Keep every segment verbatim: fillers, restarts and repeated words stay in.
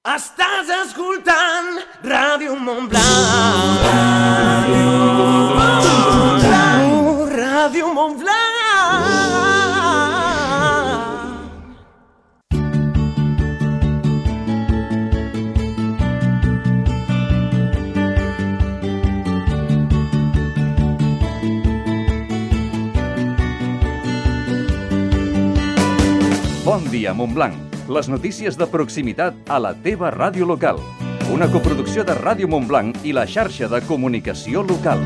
Estàs escoltant Ràdio Montblanc. Ràdio Montblanc. Ràdio Montblanc. Bon dia, Montblanc. Les notícies de proximitat a la teva ràdio local. Una coproducció de Ràdio Montblanc i la xarxa de comunicació local.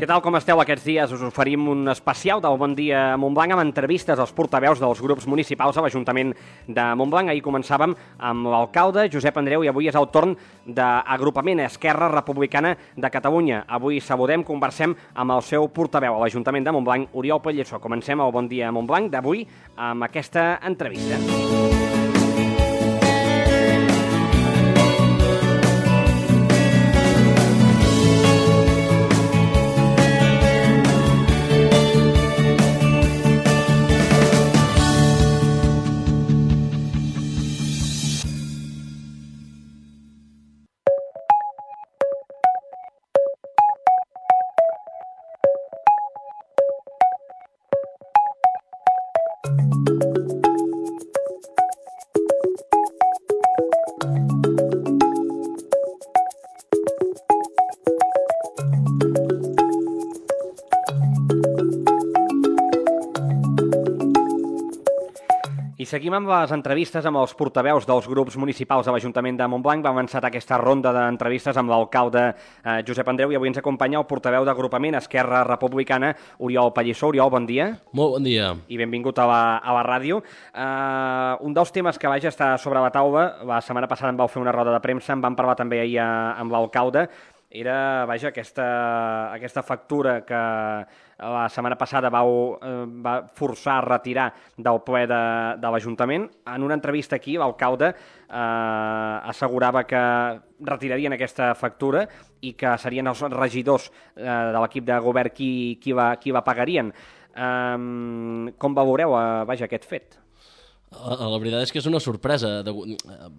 Què tal, com esteu aquests dies? Us oferim un especial del Bon Dia Montblanc amb entrevistes als portaveus dels grups municipals a l'Ajuntament de Montblanc. Ahir començàvem amb l'alcalde Josep Andreu i avui és el torn d'Agrupament Esquerra Republicana de Catalunya. Avui saludem, conversem amb el seu portaveu a l'Ajuntament de Montblanc, Oriol Pallissó. Comencem el Bon Dia Montblanc d'avui amb aquesta entrevista. I seguim amb les entrevistes amb els portaveus dels grups municipals de l'Ajuntament de Montblanc. Va avançar aquesta ronda d'entrevistes amb l'alcalde eh, Josep Andreu i avui ens acompanya el portaveu d'Agrupament Esquerra Republicana, Oriol Pallissó. Oriol, bon dia. Molt bon dia. I benvingut a la, a la ràdio. Uh, un dels temes que vaig estar sobre la taula, la setmana passada em vau fer una roda de premsa, en vam parlar també ahir amb l'alcalde, era, vaja, aquesta, aquesta factura que la setmana passada vau eh, va forçar a retirar del ple de, de l'Ajuntament. En una entrevista aquí, l'alcalde eh, assegurava que retirarien aquesta factura i que serien els regidors eh, de l'equip de govern qui, qui, la, qui la pagarien. Eh, com valoreu, eh, vaja, aquest fet? La veritat és que és una sorpresa.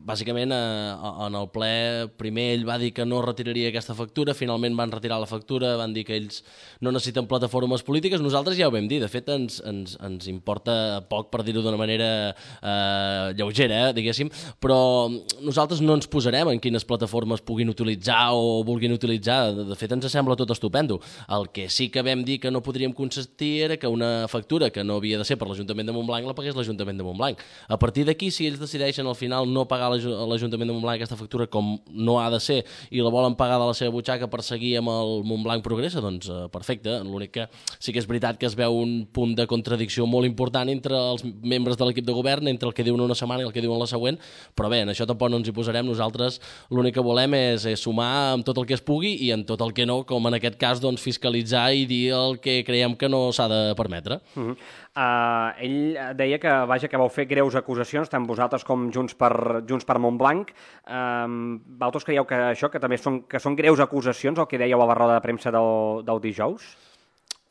Bàsicament, en el ple, primer ell va dir que no retiraria aquesta factura, finalment van retirar la factura, van dir que ells no necessiten plataformes polítiques. Nosaltres ja ho vam dir, de fet ens, ens, ens importa poc, per dir-ho d'una manera eh, lleugera, eh, diguéssim, però nosaltres no ens posarem en quines plataformes puguin utilitzar o vulguin utilitzar. De fet, ens sembla tot estupendo. El que sí que vam dir que no podríem consentir era que una factura que no havia de ser per l'Ajuntament de Montblanc la pagués l'Ajuntament de Montblanc. A partir d'aquí, si ells decideixen al final no pagar a l'Ajuntament de Montblanc aquesta factura com no ha de ser i la volen pagar de la seva butxaca per seguir amb el Montblanc Progressa, doncs eh, perfecte. L'únic que sí que és veritat que es veu un punt de contradicció molt important entre els membres de l'equip de govern, entre el que diuen una setmana i el que diuen la següent, però bé, en això tampoc no ens hi posarem. Nosaltres l'únic que volem és, és sumar amb tot el que es pugui i en tot el que no, com en aquest cas, doncs, fiscalitzar i dir el que creiem que no s'ha de permetre. Uh-huh. Uh, ell deia que, vaja, que vau fer greus acusacions, tant vosaltres com Junts per, Junts per Montblanc. Uh, vosaltres creieu que això, que també són, que són greus acusacions, el que dèieu a la roda de premsa del, del dijous?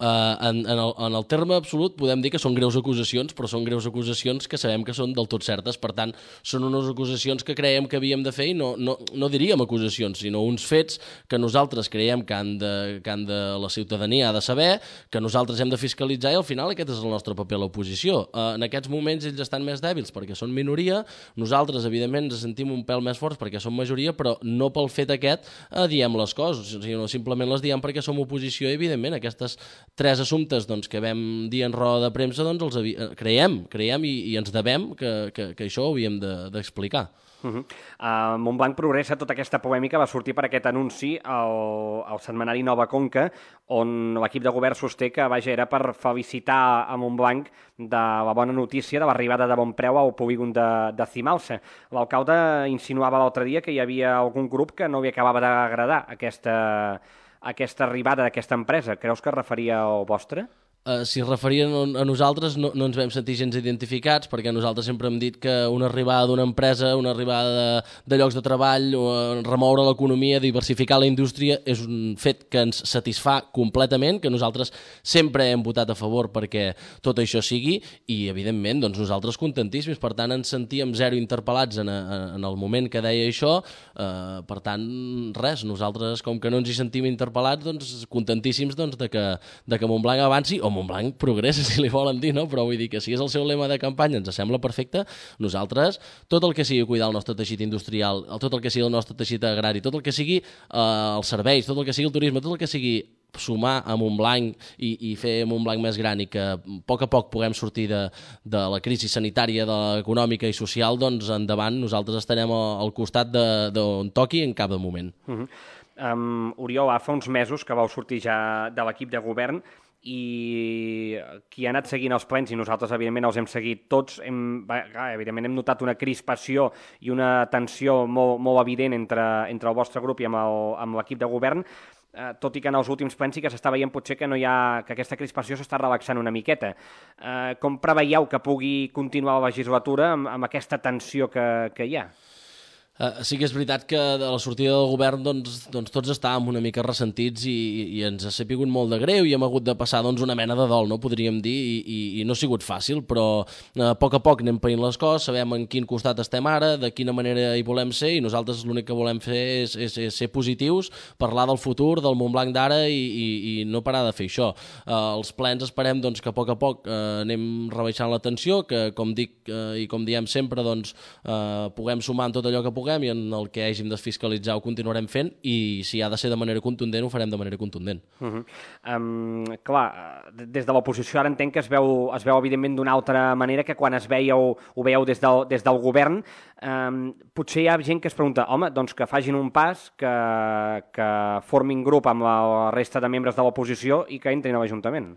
Uh, en, en, el, en el terme absolut podem dir que són greus acusacions, però són greus acusacions que sabem que són del tot certes. Per tant, són unes acusacions que creiem que havíem de fer i no, no, no diríem acusacions, sinó uns fets que nosaltres creiem que han de, que han de la ciutadania ha de saber, que nosaltres hem de fiscalitzar i al final aquest és el nostre paper a l'oposició. Uh, en aquests moments ells estan més dèbils perquè són minoria, nosaltres evidentment ens sentim un pèl més forts perquè som majoria, però no pel fet aquest uh, diem les coses, sinó simplement les diem perquè som oposició i evidentment aquestes tres assumptes doncs, que vam dir en roda de premsa, doncs els havi... creiem, creiem i, i ens devem que, que, que això ho havíem d'explicar. De, Uh-huh. uh, Montblanc Progressa, tota aquesta polèmica va sortir per aquest anunci al, al setmanari Nova Conca, on l'equip de govern sosté que, vaja, era per felicitar a Montblanc de la bona notícia de l'arribada de bon preu al polígon de, de Cimalsa. L'alcalde insinuava l'altre dia que hi havia algun grup que no li acabava d'agradar aquesta, aquesta arribada d'aquesta empresa. Creus que es referia al vostre? Uh, si es referien a nosaltres no, no ens vam sentir gens identificats, perquè nosaltres sempre hem dit que una arribada d'una empresa, una arribada de, de llocs de treball, o remoure l'economia, diversificar la indústria, és un fet que ens satisfà completament, que nosaltres sempre hem votat a favor perquè tot això sigui, i evidentment doncs, nosaltres contentíssims, per tant ens sentíem zero interpel·lats en, a, en el moment que deia això, uh, per tant res, nosaltres com que no ens hi sentim interpel·lats, doncs contentíssims doncs, de, que, de que Montblanc avanci, o Montblanc progressa, si li volen dir, no? Però vull dir que si és el seu lema de campanya ens sembla perfecte, nosaltres, tot el que sigui cuidar el nostre teixit industrial, tot el que sigui el nostre teixit agrari, tot el que sigui eh, els serveis, tot el que sigui el turisme, tot el que sigui sumar a Montblanc i, i fer Montblanc més gran i que a poc a poc puguem sortir de, de la crisi sanitària, de l'econòmica i social, doncs endavant nosaltres estarem al costat d'on toqui en cap moment. Uh -huh. um, Oriol, fa uns mesos que vau sortir ja de l'equip de govern i qui ha anat seguint els plens, i nosaltres evidentment els hem seguit tots, hem, evidentment hem notat una crispació i una tensió molt, molt evident entre, entre el vostre grup i amb l'equip de govern, eh, tot i que en els últims plens sí que s'està veient potser que, no hi ha, que aquesta crispació s'està relaxant una miqueta. Eh, com preveieu que pugui continuar la legislatura amb, amb aquesta tensió que, que hi ha? Uh, sí que és veritat que de la sortida del govern doncs, doncs tots estàvem una mica ressentits i, i ens ha sapigut molt de greu i hem hagut de passar doncs, una mena de dol, no? Podríem dir, i, i, i no ha sigut fàcil, però uh, a poc a poc anem païnt les coses, sabem en quin costat estem ara, de quina manera hi volem ser, i nosaltres l'únic que volem fer és, és, és ser positius, parlar del futur, del Montblanc d'ara i, i, i no parar de fer això. Uh, els plens esperem doncs, que a poc a poc uh, anem rebaixant la tensió, que com dic uh, i com diem sempre, doncs, uh, puguem sumar en tot allò que puguem i en el que hàgim de fiscalitzar ho continuarem fent, i si ha de ser de manera contundent ho farem de manera contundent. Uh -huh. um, clar, des de l'oposició ara entenc que es veu, es veu evidentment d'una altra manera que quan es veieu, ho veieu des del, des del govern. Um, potser hi ha gent que es pregunta, home, doncs que facin un pas, que, que formin grup amb la resta de membres de l'oposició i que entrin a l'Ajuntament,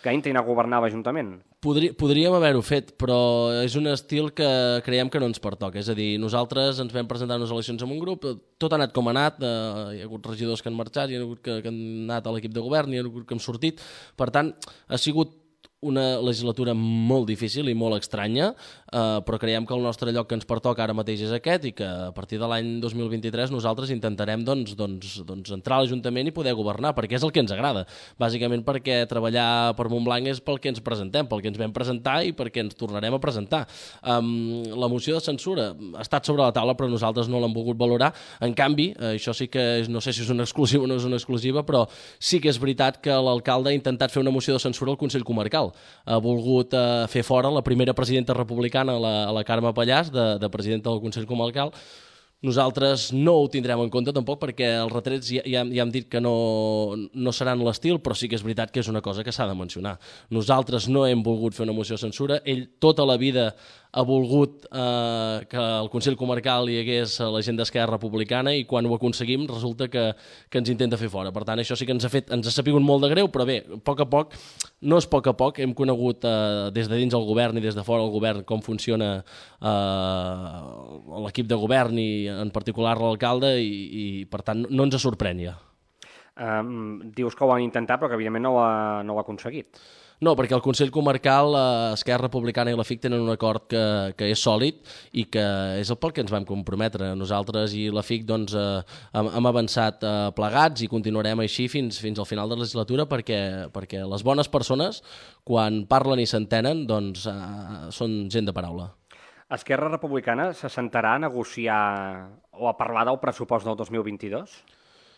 que entrin a governar l'Ajuntament. Podri, podríem haver-ho fet, però és un estil que creiem que no ens pertoca. És a dir, nosaltres ens vam presentar unes eleccions amb un grup, tot ha anat com ha anat, eh, hi ha hagut regidors que han marxat, hi ha hagut que, que han anat a l'equip de govern, hi ha hagut que han sortit. Per tant, ha sigut una legislatura molt difícil i molt estranya, eh, però creiem que el nostre lloc que ens pertoca ara mateix és aquest i que a partir de l'any dos mil vint-i-tres nosaltres intentarem doncs, doncs, doncs entrar a l'Ajuntament i poder governar, perquè és el que ens agrada. Bàsicament perquè treballar per Montblanc és pel que ens presentem, pel que ens vam presentar i perquè ens tornarem a presentar. Um, la moció de censura ha estat sobre la taula, però nosaltres no l'hem volgut valorar. En canvi, eh, això sí que és, no sé si és una exclusiva o no és una exclusiva, però sí que és veritat que l'alcalde ha intentat fer una moció de censura al Consell Comarcal. Ha volgut eh, fer fora la primera presidenta republicana, la, la Carme Pallàs, de, de presidenta del Consell Comarcal. Nosaltres no ho tindrem en compte tampoc perquè els retrets ja, ja, ja hem dit que no, no seran l'estil, però sí que és veritat que és una cosa que s'ha de mencionar. Nosaltres no hem volgut fer una moció de censura, ell tota la vida ha volgut eh, que al Consell Comarcal hi hagués la gent d'Esquerra Republicana i quan ho aconseguim resulta que, que ens intenta fer fora. Per tant, això sí que ens ha fet, ens ha sapigut molt de greu, però bé, a poc a poc, no és a poc a poc, hem conegut eh, des de dins el govern i des de fora el govern com funciona eh, l'equip de govern i en particular l'alcalde i, i per tant no ens sorprèn ja. Um, dius que ho han intentat però que evidentment no ho ha, no ho ha aconseguit. No, perquè el Consell Comarcal, eh, Esquerra Republicana i la F I C tenen un acord que, que és sòlid i que és el pel que ens vam comprometre. Nosaltres i la F I C doncs, eh, hem, hem avançat eh, plegats i continuarem així fins, fins al final de la legislatura perquè, perquè les bones persones, quan parlen i s'entenen, doncs, eh, són gent de paraula. Esquerra Republicana se sentarà a negociar o a parlar del pressupost del dos mil vint-i-dos?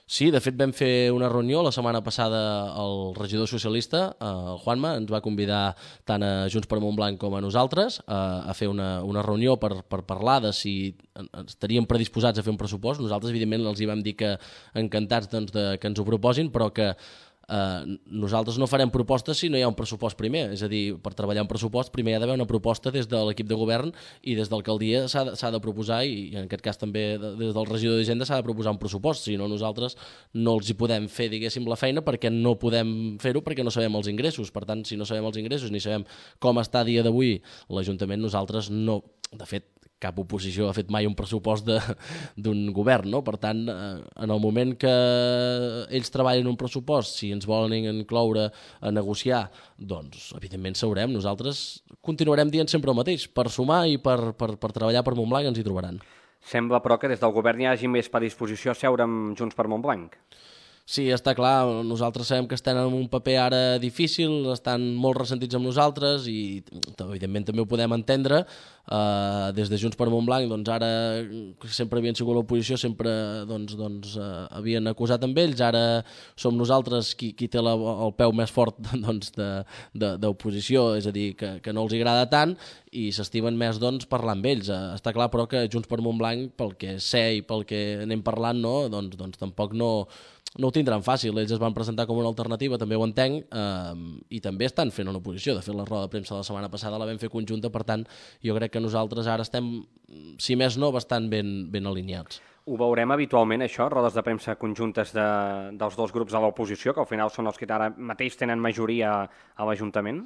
Sí, de fet vam fer una reunió la setmana passada el regidor socialista, el Juanma, ens va convidar tant a Junts per Montblanc com a nosaltres a, a fer una, una reunió per, per parlar de si estaríem predisposats a fer un pressupost. Nosaltres, evidentment, els hi vam dir que encantats doncs, de, que ens ho proposin, però que Uh, nosaltres no farem propostes si no hi ha un pressupost primer, és a dir, per treballar un pressupost primer hi ha d'haver una proposta des de l'equip de govern i des d'alcaldia s'ha de, s'ha de proposar i en aquest cas també des del regidor d'Hisenda s'ha de proposar un pressupost, si no nosaltres no els hi podem fer, diguéssim, la feina perquè no podem fer-ho perquè no sabem els ingressos. Per tant, si no sabem els ingressos ni sabem com està a dia d'avui l'Ajuntament, nosaltres no, de fet cap oposició ha fet mai un pressupost d'un govern, no? Per tant, eh, en el moment que ells treballen un pressupost, si ens volen incloure a negociar, doncs, evidentment, sabrem. Nosaltres continuarem dient sempre el mateix. Per sumar i per, per, per treballar per Montblanc ens hi trobaran. Sembla, però, que des del govern hi hagi més predisposició a seure amb Junts per Montblanc. Sí, està clar, nosaltres sabem que estan en un paper ara difícil, estan molt ressentits amb nosaltres i evidentment també ho podem entendre. Uh, des de Junts per Montblanc, doncs ara sempre havien sigut l'oposició, sempre doncs, doncs, uh, havien acusat amb ells, ara som nosaltres qui, qui té la, el peu més fort doncs, d'oposició, és a dir, que, que no els agrada tant i s'estimen més doncs, parlar amb ells. Uh, està clar, però, que Junts per Montblanc, pel que sé i pel que anem parlant, no, doncs, doncs tampoc no... no ho tindran fàcil, ells es van presentar com una alternativa, també ho entenc, eh, i també estan fent una oposició. De fet, la roda de premsa de la setmana passada la vam fer conjunta, per tant, jo crec que nosaltres ara estem, si més no, bastant ben, ben alineats. Ho veurem habitualment, això, rodes de premsa conjuntes de, dels dos grups de l'oposició, que al final són els que ara mateix tenen majoria a l'Ajuntament?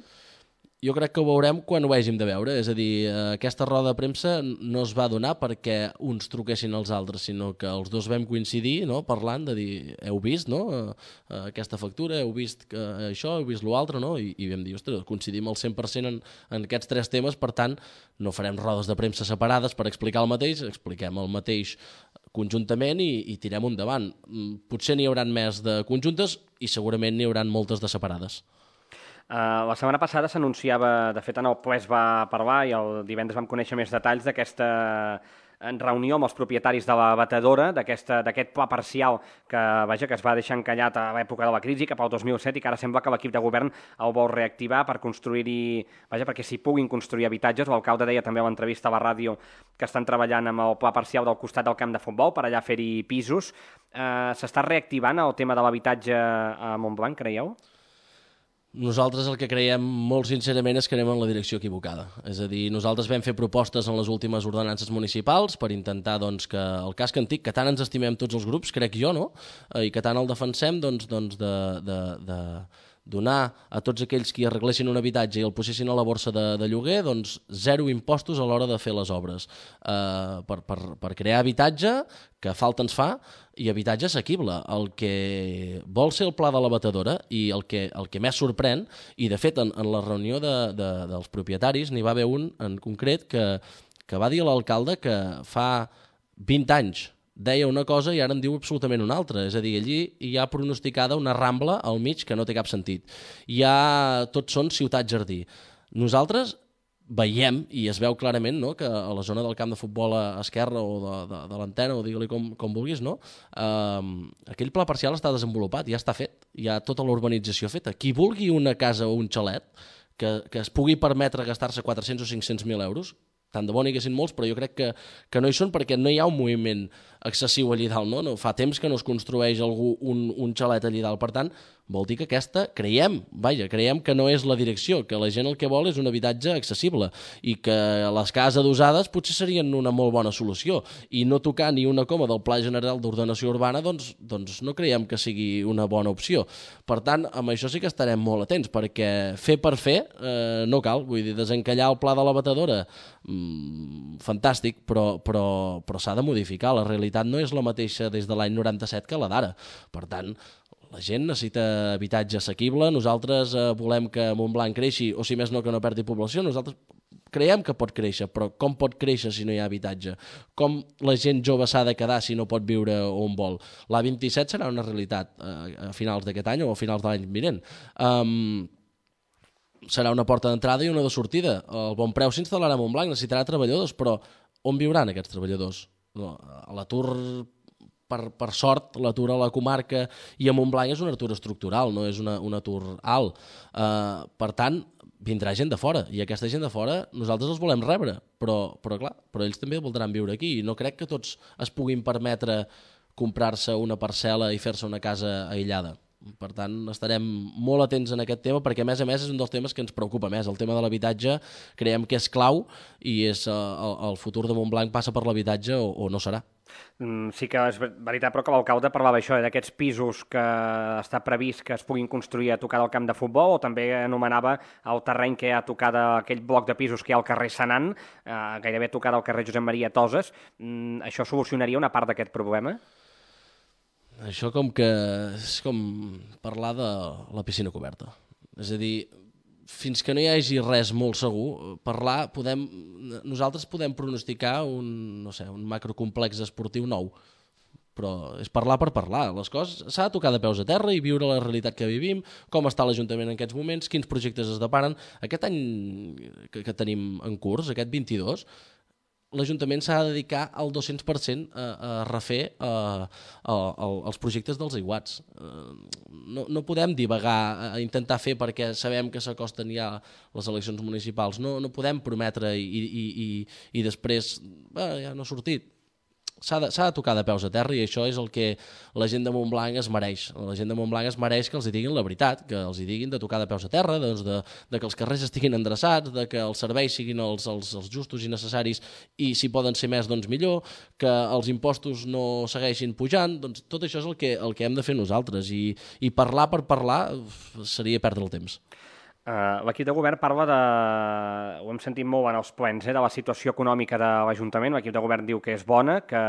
Jo crec que ho veurem quan ho hàgim de veure, és a dir, aquesta roda de premsa no es va donar perquè uns truquessin als altres, sinó que els dos vam coincidir, no?, parlant de dir, heu vist, no?, aquesta factura, heu vist que això, heu vist l'altre, no?, I, i vam dir, ostres, coincidim al cent per cent en, en aquests tres temes, per tant, no farem rodes de premsa separades per explicar el mateix, expliquem el mateix conjuntament i, i tirem endavant. Potser n'hi hauran més de conjuntes i segurament n'hi hauran moltes de separades. Uh, la setmana passada s'anunciava, de fet en el ple es va parlar i el divendres vam conèixer més detalls d'aquesta reunió amb els propietaris de la batedora, d'aquest pla parcial que, vaja, que es va deixar encallat a l'època de la crisi, cap al dos mil set, i que ara sembla que l'equip de govern el vol reactivar per construir-hi, vaja, perquè s'hi puguin construir habitatges. L'alcalde deia també a l'entrevista a la ràdio que estan treballant amb el pla parcial del costat del camp de futbol per allà fer-hi pisos. Uh, S'està reactivant el tema de l'habitatge a Montblanc, creieu? Nosaltres el que creiem molt sincerament és que anem en la direcció equivocada. És a dir, nosaltres vam fer propostes en les últimes ordenances municipals per intentar doncs, que el casc antic, que tant ens estimem tots els grups, crec jo, no?, i que tant el defensem, doncs, doncs de, de, de donar a tots aquells qui arreglessin un habitatge i el posessin a la borsa de, de lloguer, doncs zero impostos a l'hora de fer les obres. Uh, per, per, per crear habitatge, que falta ens fa, i habitatge assequible. El que vol ser el pla de la batedora i el que, el que més sorprèn, i de fet en, en la reunió de, de, dels propietaris n'hi va haver un en concret que, que va dir a l'alcalde que fa vint anys deia una cosa i ara en diu absolutament una altra. És a dir, allí hi ha pronosticada una rambla al mig que no té cap sentit. Hi ha... Tots són ciutat-jardí. Nosaltres veiem, i es veu clarament, no?, que a la zona del camp de futbol a esquerra o de, de, de l'antena, o digue-li com, com vulguis, no?, eh, aquell pla parcial està desenvolupat, ja està fet, hi ha tota la urbanització feta. Qui vulgui una casa o un xalet que, que es pugui permetre gastar-se quatre-cents o cinc-cents mil euros, tant de bo n'hi haguessin molts, però jo crec que, que no hi són perquè no hi ha un moviment excessiu allí dalt, no? no? Fa temps que no es construeix algú un, un xalet allí dalt, per tant, vol dir que aquesta, creiem, vaja, creiem que no és la direcció, que la gent el que vol és un habitatge accessible i que les cases adossades potser serien una molt bona solució i no tocar ni una coma del Pla General d'Ordenació Urbana, doncs, doncs no creiem que sigui una bona opció. Per tant, amb això sí que estarem molt atents, perquè fer per fer eh, no cal, vull dir, desencallar el pla de la batedora, mmm, fantàstic, però, però, però s'ha de modificar. La realitat no és la mateixa des de l'any noranta-set que la d'ara. Per tant, la gent necessita habitatge assequible, nosaltres eh, volem que Montblanc creixi, o si més no que no perdi població, nosaltres creiem que pot créixer, però com pot créixer si no hi ha habitatge? Com la gent jove s'ha de quedar si no pot viure on vol? L'A vint-i-set serà una realitat eh, a finals d'aquest any o a finals de l'any vinent. Um, serà una porta d'entrada i una de sortida. El bon preu s'instal·larà a Montblanc, necessitarà treballadors, però on viuran aquests treballadors? No, l'atur... Per, per sort, l'atur a la comarca i a Montblanc és un atur estructural, no és una, un atur alt. Uh, per tant, vindrà gent de fora, i aquesta gent de fora nosaltres els volem rebre, però, però clar, però ells també voldran viure aquí, i no crec que tots es puguin permetre comprar-se una parcel·la i fer-se una casa aïllada. Per tant, estarem molt atents en aquest tema perquè, a més a més, és un dels temes que ens preocupa més. El tema de l'habitatge creiem que és clau i és, uh, el, el futur de Montblanc passa per l'habitatge o, o no serà. Mm, sí que és veritat, però que l'alcalde parlava això, eh, d'aquests pisos que està previst que es puguin construir a tocar del camp de futbol, o també anomenava el terreny que hi ha a tocar d'aquell bloc de pisos que hi ha al carrer Senan, eh, gairebé a tocar del carrer Josep Maria Toses. Mm, això solucionaria una part d'aquest problema? Això com que és com parlar de la piscina coberta. És a dir, fins que no hi hagi res molt segur, parlar, podem, nosaltres podem pronosticar un, no sé, un macrocomplex esportiu nou, però és parlar per parlar. Les coses s'ha de tocar de peus a terra i viure la realitat que vivim, com està l'Ajuntament en aquests moments, quins projectes es deparen. Aquest any que, que tenim en curs, aquest vint-i-dos, l'Ajuntament s'ha de dedicar al dos-cents per cent a, a refer a, a, a, els projectes dels aiguats. No, no podem divagar a intentar fer perquè sabem que s'acosten ja les eleccions municipals. No, no podem prometre i, i, i, i després bé, ja no ha sortit. S'ha de, s'ha de tocar de peus a terra i això és el que la gent de Montblanc es mereix. La gent de Montblanc es mereix que els hi diguin la veritat, que els hi diguin de tocar de peus a terra, doncs de, de que els carrers estiguin endreçats, de que els serveis siguin els, els, els justos i necessaris i si poden ser més, doncs millor, que els impostos no segueixin pujant, doncs tot això és el que, el que hem de fer nosaltres i, i parlar per parlar seria perdre el temps. Uh, L'equip de govern parla de, ho hem sentit molt en els plens, eh, de la situació econòmica de l'Ajuntament. L'equip de govern diu que és bona, que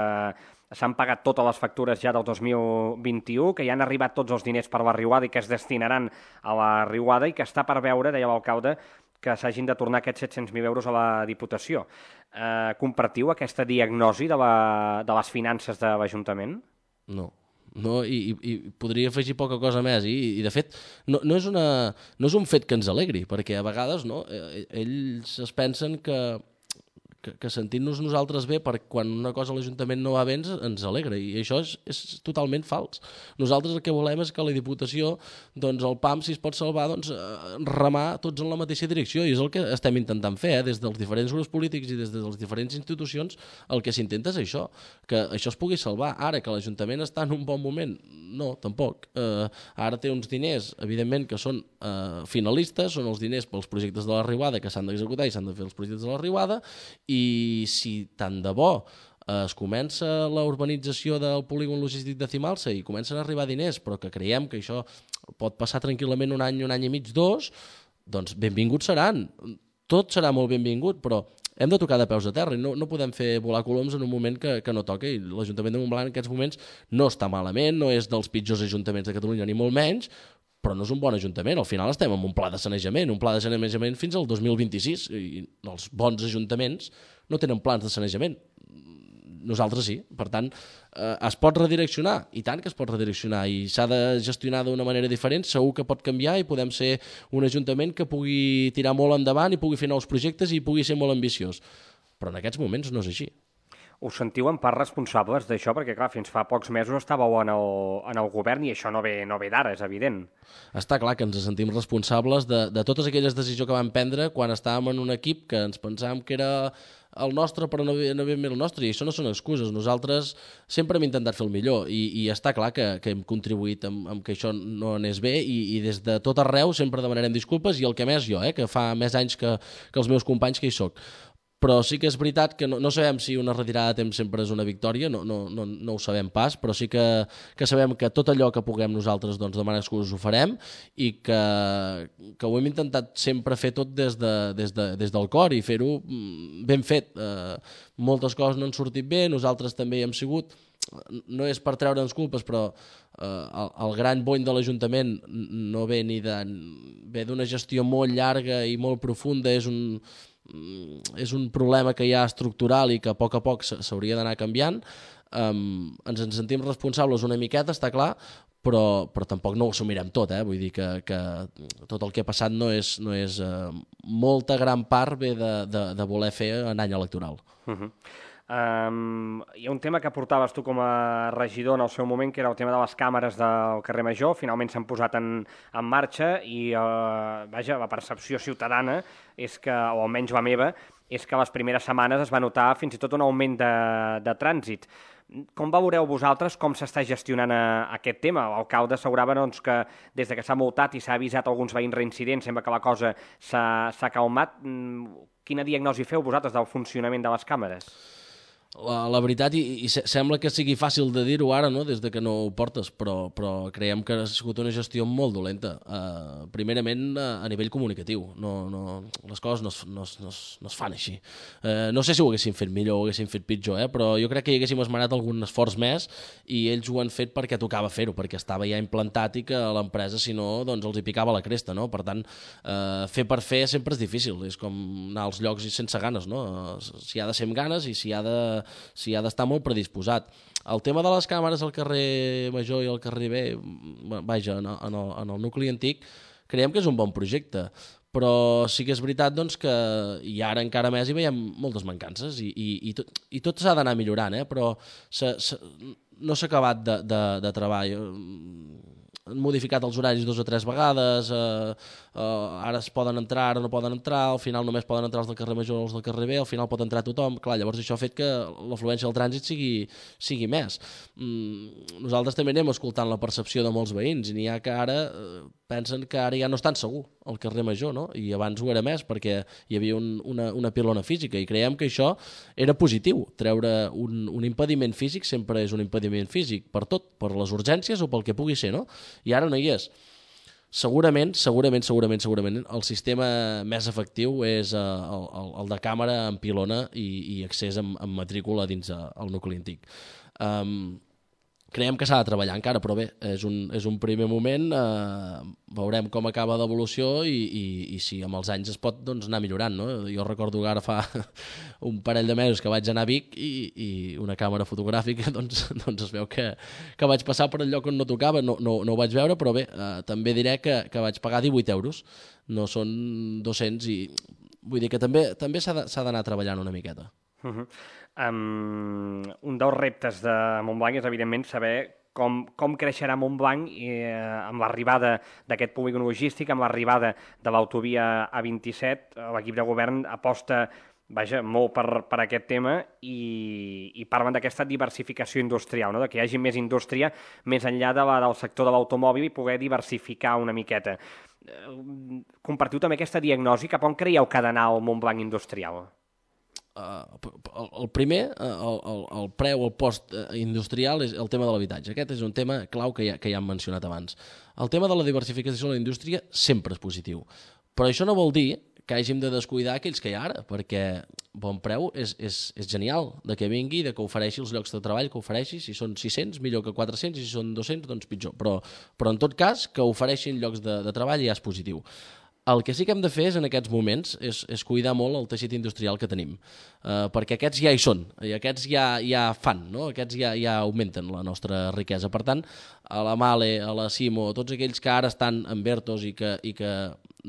s'han pagat totes les factures ja del dos mil vint-i-u, que ja han arribat tots els diners per la riuada i que es destinaran a la riuada i que està per veure, deia l'alcalde, que s'hagin de tornar aquests set-cents mil euros a la Diputació. Uh, compartiu aquesta diagnosi de, la, de les finances de l'Ajuntament? No. No, i, i podria afegir poca cosa més i, i de fet no, no, és una, no és un fet que ens alegri perquè a vegades no, ells es pensen que, que, que sentint-nos nosaltres bé per quan una cosa a l'Ajuntament no va bé ens, ens alegra i això és, és totalment fals. Nosaltres el que volem és que la Diputació doncs el P A M si es pot salvar doncs remar tots en la mateixa direcció i és el que estem intentant fer eh? Des dels diferents grups polítics i des de les diferents institucions el que s'intenta és això, que això es pugui salvar. Ara que l'Ajuntament està en un bon moment, no, tampoc. Eh, ara té uns diners, evidentment que són eh, finalistes, són els diners pels projectes de la riuada que s'han d'executar i s'han de fer els projectes de la riuada i si tant de bo es comença la urbanització del polígon logístic de Cimalsa i comencen a arribar diners, però que creiem que això pot passar tranquil·lament un any, un any i mig, dos, doncs benvinguts seran. Tot serà molt benvingut, però hem de tocar de peus a terra i no, no podem fer volar coloms en un moment que, que no toca i l'Ajuntament de Montblanc en aquests moments no està malament, no és dels pitjors ajuntaments de Catalunya ni molt menys, però no és un bon ajuntament. Al final estem amb un pla de sanejament, un pla de sanejament fins al dos mil vint-i-sis i els bons ajuntaments no tenen plans de sanejament. Nosaltres sí. Per tant, eh, es pot redireccionar, i tant que es pot redireccionar, i s'ha de gestionar d'una manera diferent, segur que pot canviar i podem ser un ajuntament que pugui tirar molt endavant i pugui fer nous projectes i pugui ser molt ambiciós. Però en aquests moments no és així. Us sentiu en part responsables d'això? Perquè, clar, fins fa pocs mesos estàveu en el, en el govern i això no ve, no ve d'ara, és evident. Està clar que ens sentim responsables de, de totes aquelles decisions que vam prendre quan estàvem en un equip que ens pensàvem que era el nostre però no ve, no ve el nostre, i això no són excuses. Nosaltres sempre hem intentat fer el millor i, i està clar que, que hem contribuït amb, amb que això no anés bé i, i des de tot arreu sempre demanarem disculpes i el que més jo, eh, que fa més anys que, que els meus companys que hi soc. Però sí que és veritat que no, no sabem si una retirada a temps sempre és una victòria, no, no, no, no ho sabem pas, però sí que, que sabem que tot allò que puguem nosaltres doncs, demanar excuses ho farem i que, que ho hem intentat sempre fer tot des, de, des, de, des del cor i fer-ho ben fet. Eh, moltes coses no han sortit bé, nosaltres també hi hem sigut, no és per treure'ns culpes, però eh, el, el gran bony de l'Ajuntament no ve ni de, ve d'una gestió molt llarga i molt profunda, és un és un problema que hi ha estructural i que a poc a poc s'hauria d'anar canviant. Um, ens en sentim responsables una miqueta, està clar, però, però tampoc no ho assumirem tot, eh? Vull dir que, que tot el que ha passat no és, no és uh, molta gran part ve de, de, de voler fer en any electoral. Uh-huh. Um, hi ha un tema que portaves tu com a regidor en el seu moment, que era el tema de les càmeres del carrer Major. Finalment s'han posat en, en marxa i, uh, vaja, la percepció ciutadana és que, o almenys la meva, és que les primeres setmanes es va notar fins i tot un augment de, de trànsit. Com valoreu vosaltres com s'està gestionant a, a aquest tema? L'alcalde assegurava doncs, que des de que s'ha multat i s'ha avisat alguns veïns reincidents, sembla que la cosa s'ha calmat. Quina diagnosi feu vosaltres del funcionament de les càmeres? La, la veritat, i, i sembla que sigui fàcil de dir-ho ara, no?, des de que no ho portes, però, però creiem que ha sigut una gestió molt dolenta. Uh, primerament, uh, a nivell comunicatiu. No, no, les coses no es, no es, no es, no es fan així. Uh, no sé si ho haguessin fet millor o ho haguessin fet pitjor, eh? Però jo crec que hi haguéssim esmenat algun esforç més i ells ho han fet perquè tocava fer-ho, perquè estava ja implantat i que l'empresa, si no, doncs els hi picava la cresta, no? Per tant, uh, fer per fer sempre és difícil. És com anar als llocs sense ganes, no? Uh, si ha de ser amb ganes i si ha de si ha d'estar molt predisposat. El tema de les càmeres al carrer Major i al carrer B, vaja, en el, en el nucli antic, creiem que és un bon projecte, però sí que és veritat doncs, que i ara encara més hi veiem moltes mancances i, i, i tot, i tot s'ha d'anar millorant, eh? Però se, se, no s'ha acabat de, de, de treball. Han modificat els horaris dues o tres vegades, eh, eh, ara es poden entrar, ara no poden entrar, al final només poden entrar els del carrer Major o els del carrer B, al final pot entrar tothom. Clar, llavors això ha fet que l'afluència del trànsit sigui, sigui més. Mm, nosaltres també anem escoltant la percepció de molts veïns i n'hi ha que ara eh, pensen que ara ja no és tan segur al carrer Major, no? I abans ho era més perquè hi havia un, una, una pilona física i creiem que això era positiu. Treure un, un impediment físic sempre és un impediment físic per tot, per les urgències o pel que pugui ser, no? I ara no hi és. Segurament, segurament, segurament, segurament, el sistema més efectiu és uh, el, el, el de càmera amb pilona i, i accés amb, amb matrícula dins uh, el nucli antic. Um, creiem que s'ha de treballar encara, però bé, és un, és un primer moment, eh, veurem com acaba l'evolució i, i, i si amb els anys es pot doncs, anar millorant, no? Jo recordo que ara fa un parell de mesos que vaig anar a Vic i, i una càmera fotogràfica doncs, doncs es veu que, que vaig passar per el lloc on no tocava, no, no, no ho vaig veure, però bé, eh, també diré que, que vaig pagar divuit euros, no són dos-cents i vull dir que també, també s'ha d'anar treballant una miqueta. Uh -huh. um, un dels reptes de Montblanc és, evidentment, saber com, com creixerà Montblanc eh, amb l'arribada d'aquest polígon logístic, amb l'arribada de l'autovia A vint-i-set. L'equip de govern aposta vaja, molt per, per aquest tema i, i parlen d'aquesta diversificació industrial, no? De que hi hagi més indústria més enllà de la, del sector de l'automòbil i poder diversificar una miqueta. Eh, compartiu també aquesta diagnosi, cap on creieu que ha d'anar el Montblanc industrial? Uh, el, el primer, el, el, el preu, el post industrial és el tema de l'habitatge. Aquest és un tema clau que ja, que ja hem mencionat abans. El tema de la diversificació de la indústria sempre és positiu, però això no vol dir que hàgim de descuidar aquells que hi ha ara, perquè bon preu és, és, és genial, de que vingui, de que ofereixi els llocs de treball que ofereixi, si són sis-cents millor que quatre-cents, i si són dos-cents doncs pitjor, però, però en tot cas que ofereixin llocs de, de treball ja és positiu. El que sí que hem de fer és, en aquests moments és, és cuidar molt el teixit industrial que tenim, uh, perquè aquests ja hi són, i aquests ja, ja fan, no? Aquests ja, ja augmenten la nostra riquesa. Per tant, a la Male, a la Simo, tots aquells que ara estan en Bertos i que, i que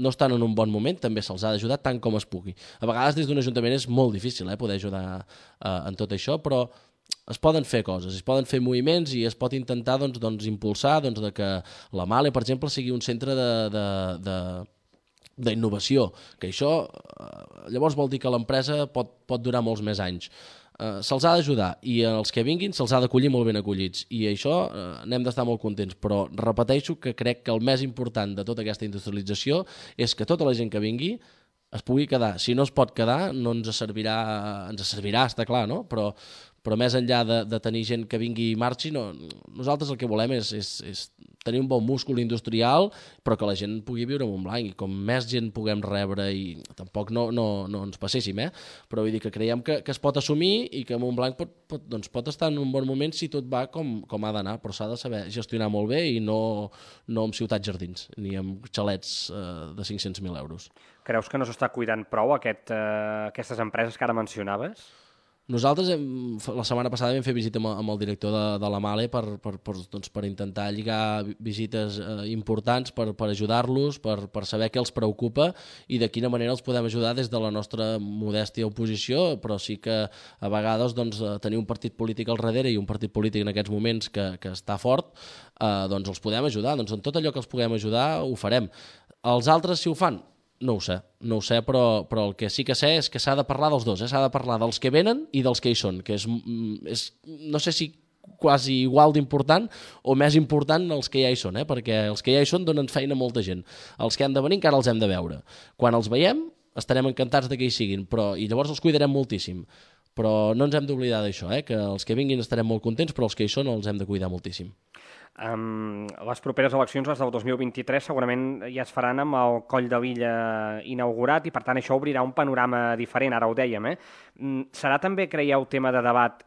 no estan en un bon moment, també se'ls ha d'ajudar tant com es pugui. A vegades des d'un ajuntament és molt difícil eh, poder ajudar uh, en tot això, però es poden fer coses, es poden fer moviments i es pot intentar doncs, doncs, impulsar doncs, de que la Male, per exemple, sigui un centre de... de, de d'innovació, que això eh, llavors vol dir que l'empresa pot, pot durar molts més anys. Eh, se'ls ha d'ajudar i els que vinguin se'ls ha d'acollir molt ben acollits i això eh, n'hem d'estar molt contents, però repeteixo que crec que el més important de tota aquesta industrialització és que tota la gent que vingui es pugui quedar. Si no es pot quedar no ens servirà, ens servirà, està clar, no? Però, però més enllà de, de tenir gent que vingui i marxi, no, nosaltres el que volem és, és, és tenir un bon múscul industrial, però que la gent pugui viure a Montblanc, i com més gent puguem rebre, i tampoc no, no, no ens passéssim, eh? Però vull dir que creiem que, que es pot assumir i que Montblanc pot, pot, doncs pot estar en un bon moment si tot va com, com ha d'anar, però s'ha de saber gestionar molt bé i no, no amb ciutats jardins, ni amb xalets eh, de cinc-cents mil euros. Creus que no s'està cuidant prou aquest, eh, aquestes empreses que ara mencionaves? Nosaltres hem, la setmana passada vam fer visita amb, amb el director de, de la Male per, per, per, doncs, per intentar lligar visites eh, importants, per, per ajudar-los, per, per saber què els preocupa i de quina manera els podem ajudar des de la nostra modèstia oposició, però sí que a vegades doncs, tenir un partit polític al darrere i un partit polític en aquests moments que, que està fort, eh, doncs els podem ajudar. Doncs en tot allò que els puguem ajudar ho farem. Els altres, si ho fan, no ho sé, no ho sé, però, però el que sí que sé és que s'ha de parlar dels dos, eh? S'ha de parlar dels que venen i dels que hi són, que és, és no sé si quasi igual d'important o més important els que ja hi són, eh? Perquè els que ja hi són donen feina a molta gent. Els que han de venir encara els hem de veure. Quan els veiem estarem encantats de que hi siguin, però, i llavors els cuidarem moltíssim. Però no ens hem d'oblidar d'això, eh? Que els que vinguin estarem molt contents, però els que hi són els hem de cuidar moltíssim. Um, les properes eleccions, les del dos mil vint-i-tres, segurament ja es faran amb el Coll de Lilla inaugurat i per tant això obrirà un panorama diferent, ara ho dèiem, eh? Serà també, creieu, tema de debat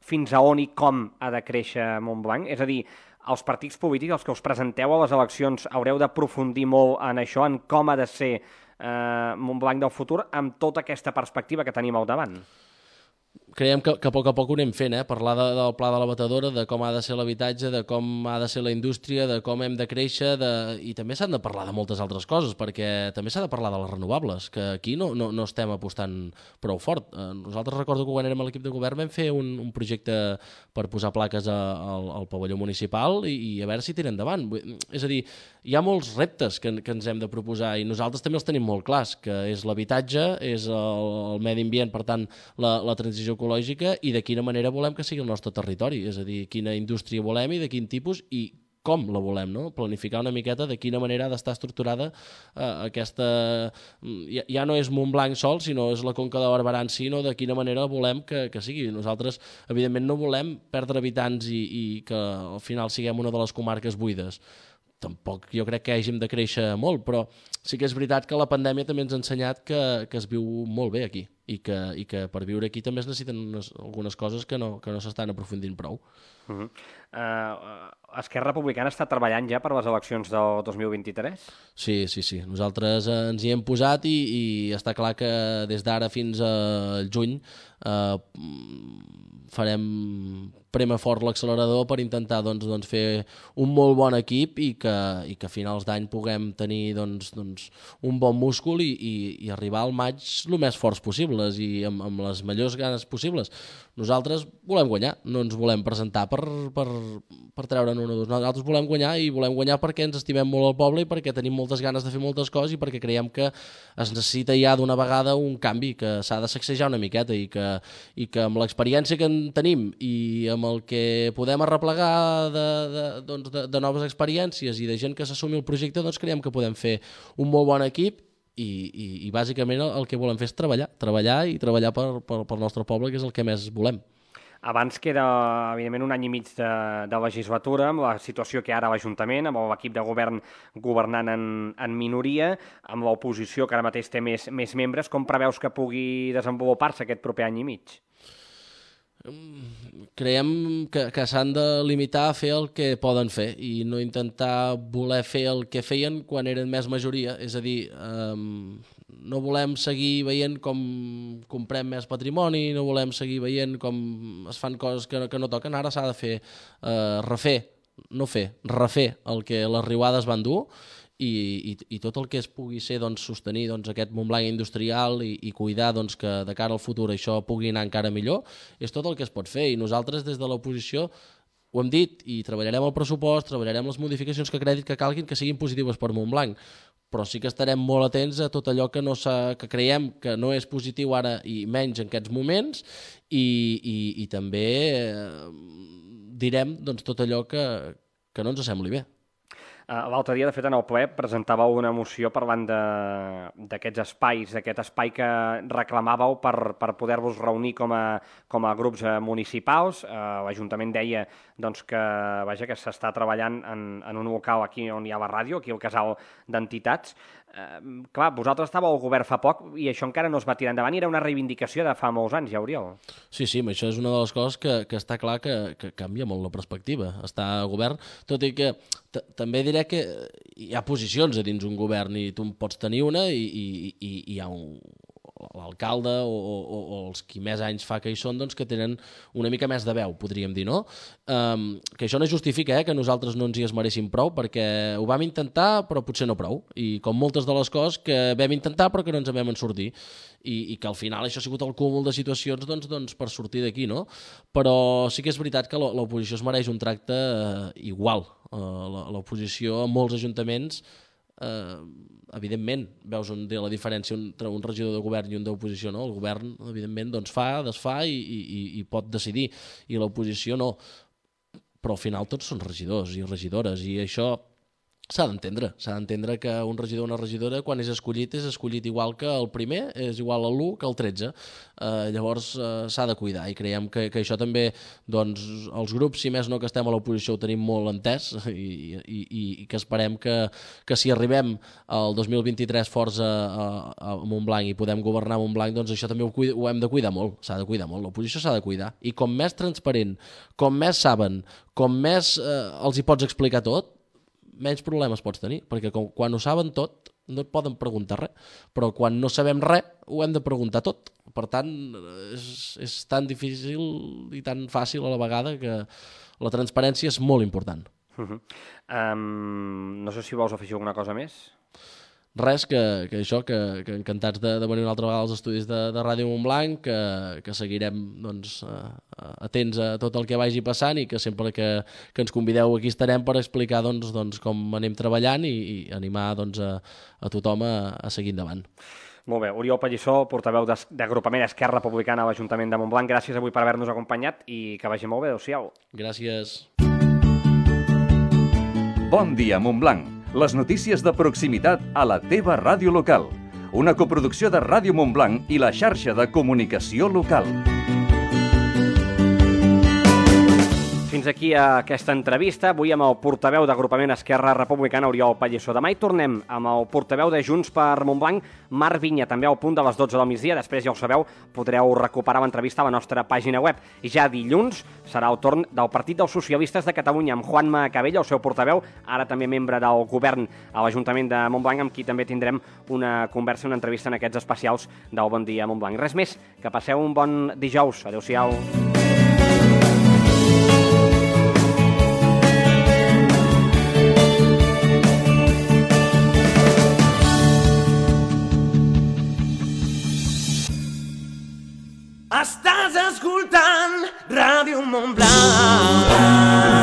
fins a on i com ha de créixer Montblanc? És a dir, els partits polítics, els que us presenteu a les eleccions, haureu d'aprofundir molt en això, en com ha de ser eh, Montblanc del futur, amb tota aquesta perspectiva que tenim al davant? Creiem que, que a poc a poc ho anem fent, eh? Parlar de, del pla de la batedora, de com ha de ser l'habitatge, de com ha de ser la indústria, de com hem de créixer, de... i també s'han de parlar de moltes altres coses, perquè també s'ha de parlar de les renovables, que aquí no, no, no estem apostant prou fort. Eh, nosaltres recordo que quan érem a l'equip de govern vam fer un, un projecte per posar plaques a, al, al pavelló municipal i, i a veure si tira endavant. És a dir, hi ha molts reptes que, que ens hem de proposar i nosaltres també els tenim molt clars, que és l'habitatge, és el, el medi ambient, per tant, la, la transició ecològica i de quina manera volem que sigui el nostre territori, és a dir, quina indústria volem i de quin tipus i com la volem, no? Planificar una miqueta de quina manera ha d'estar estructurada eh, aquesta... Ja, ja no és Montblanc sol, sinó és la Conca de Barberà en si, no? De quina manera volem que, que sigui. Nosaltres, evidentment, no volem perdre habitants i, i que al final siguem una de les comarques buides. Tampoc jo crec que hàgim de créixer molt, però sí que és veritat que la pandèmia també ens ha ensenyat que, que es viu molt bé aquí i que, i que per viure aquí també es necessiten unes, algunes coses que no, que no s'estan aprofundint prou. Uh -huh. uh, Esquerra Republicana està treballant ja per les eleccions del dos mil vint-i-tres? Sí, sí, sí. Nosaltres eh, ens hi hem posat i, i està clar que des d'ara fins al juny eh, farem prema fort l'accelerador per intentar doncs, doncs, fer un molt bon equip i que, i que a finals d'any puguem tenir doncs, doncs, un bon múscul i, i, i arribar al maig el més forts possibles i amb, amb les millors ganes possibles. Nosaltres volem guanyar, no ens volem presentar per, per, per treure'n un o dos. Nosaltres volem guanyar i volem guanyar perquè ens estimem molt al poble i perquè tenim moltes ganes de fer moltes coses i perquè creiem que es necessita ja d'una vegada un canvi, que s'ha de sacsejar una miqueta i que, i que amb l'experiència que en tenim i amb el que podem arreplegar de, de, doncs de, de noves experiències i de gent que s'assumi el projecte, doncs creiem que podem fer un molt bon equip i, i, i bàsicament el, el que volem fer és treballar, treballar i treballar per, per, pel nostre poble, que és el que més volem. Abans queda, evidentment, un any i mig de, de legislatura, amb la situació que hi ha ara a l'Ajuntament, amb l'equip de govern governant en, en minoria, amb l'oposició que ara mateix té més, més membres. Com preveus que pugui desenvolupar-se aquest proper any i mig? Creiem que, que s'han de limitar a fer el que poden fer i no intentar voler fer el que feien quan eren més majoria. És a dir, eh, no volem seguir veient com comprem més patrimoni, no volem seguir veient com es fan coses que, que no toquen. Ara s'ha de fer, eh, refer, no fer, refer el que les riuades van dur i, i, i tot el que es pugui ser doncs, sostenir doncs, aquest Montblanc industrial i, i cuidar doncs, que de cara al futur això pugui anar encara millor, és tot el que es pot fer i nosaltres des de l'oposició ho hem dit i treballarem el pressupost, treballarem les modificacions que crèdit que calguin que siguin positives per Montblanc, però sí que estarem molt atents a tot allò que, no que creiem que no és positiu ara i menys en aquests moments i, i, i també eh, direm doncs, tot allò que, que no ens sembli bé. Uh, L'altre dia, de fet, en el ple presentàveu una moció parlant d'aquests espais, d'aquest espai que reclamàveu per, per poder-vos reunir com a, com a grups municipals. Uh, L'Ajuntament deia doncs, que, vaja, que s'està treballant en, en un local aquí on hi ha la ràdio, aquí al casal d'entitats. Uh, clar, vosaltres estàveu al govern fa poc i això encara no es va tirar endavant i era una reivindicació de fa molts anys, ja, Oriol. Sí, sí, això és una de les coses que, que està clar que, que canvia molt la perspectiva. Està al govern, tot i que també diré que hi ha posicions a dins un govern i tu en pots tenir una i, i, i hi ha un, l'alcalde o, o, o els qui més anys fa que hi són, doncs que tenen una mica més de veu, podríem dir, no? Um, que això no justifica eh, que nosaltres no ens hi esmereixin prou, perquè ho vam intentar però potser no prou, i com moltes de les coses que vam intentar però que no ens en vam en sortir, i, i que al final això ha sigut el cúmul de situacions doncs, doncs, per sortir d'aquí, no? Però sí que és veritat que l'oposició es mereix un tracte eh, igual. Uh, l'oposició a molts ajuntaments Uh, evidentment veus on té la diferència entre un regidor de govern i un d'oposició, no? El govern evidentment doncs fa, desfà i, i, i pot decidir, i l'oposició no, però al final tots són regidors i regidores, i això s'ha d'entendre, s'ha d'entendre que un regidor o una regidora quan és escollit és escollit igual que el primer, és igual a l'u que el tretze, uh, llavors uh, s'ha de cuidar, i creiem que, que això també doncs, els grups, si més no que estem a l'oposició, ho tenim molt entès, i, i, i que esperem que, que si arribem al dos mil vint-i-tres forts a, a, a Montblanc i podem governar Montblanc, doncs això també ho, cuida, ho hem de cuidar molt, s'ha de cuidar molt, l'oposició s'ha de cuidar, i com més transparent, com més saben, com més eh, els hi pots explicar tot, menys problemes pots tenir, perquè com, quan ho saben tot no et poden preguntar res, però quan no sabem res ho hem de preguntar tot, per tant és, és tan difícil i tan fàcil a la vegada que la transparència és molt important. Uh-huh. um, no sé si vols afegir alguna cosa més? Res, que, que això, que, que encantats de, de venir una altra vegada als estudis de, de Ràdio Montblanc, que, que seguirem doncs, atents a tot el que vagi passant, i que sempre que, que ens convideu aquí estarem per explicar doncs, doncs, com anem treballant, i, i animar doncs, a, a tothom a, a seguir endavant. Molt bé, Oriol Pallissó, portaveu d'agrupament Esquerra Republicana a l'Ajuntament de Montblanc, gràcies avui per haver-nos acompanyat i que vagi molt bé, adéu-siau. Gràcies. Bon dia, Montblanc. Les notícies de proximitat a la teva ràdio local. Una coproducció de Ràdio Montblanc i la xarxa de comunicació local. Fins aquí aquesta entrevista, avui amb el portaveu d'agrupament Esquerra Republicana, Oriol Pallissó. Demà hi tornem amb el portaveu de Junts per Montblanc, Marc Vinya, també al punt de les dotze del migdia. Després, ja ho sabeu, podreu recuperar l'entrevista a la nostra pàgina web. I ja dilluns serà el torn del Partit dels Socialistes de Catalunya, amb Juanma Cabell, el seu portaveu, ara també membre del govern a l'Ajuntament de Montblanc, amb qui també tindrem una conversa, una entrevista en aquests especials del Bon Dia Montblanc. Res més, que passeu un bon dijous. Adéu-siau. Estàs escoltant Ràdio Montblanc.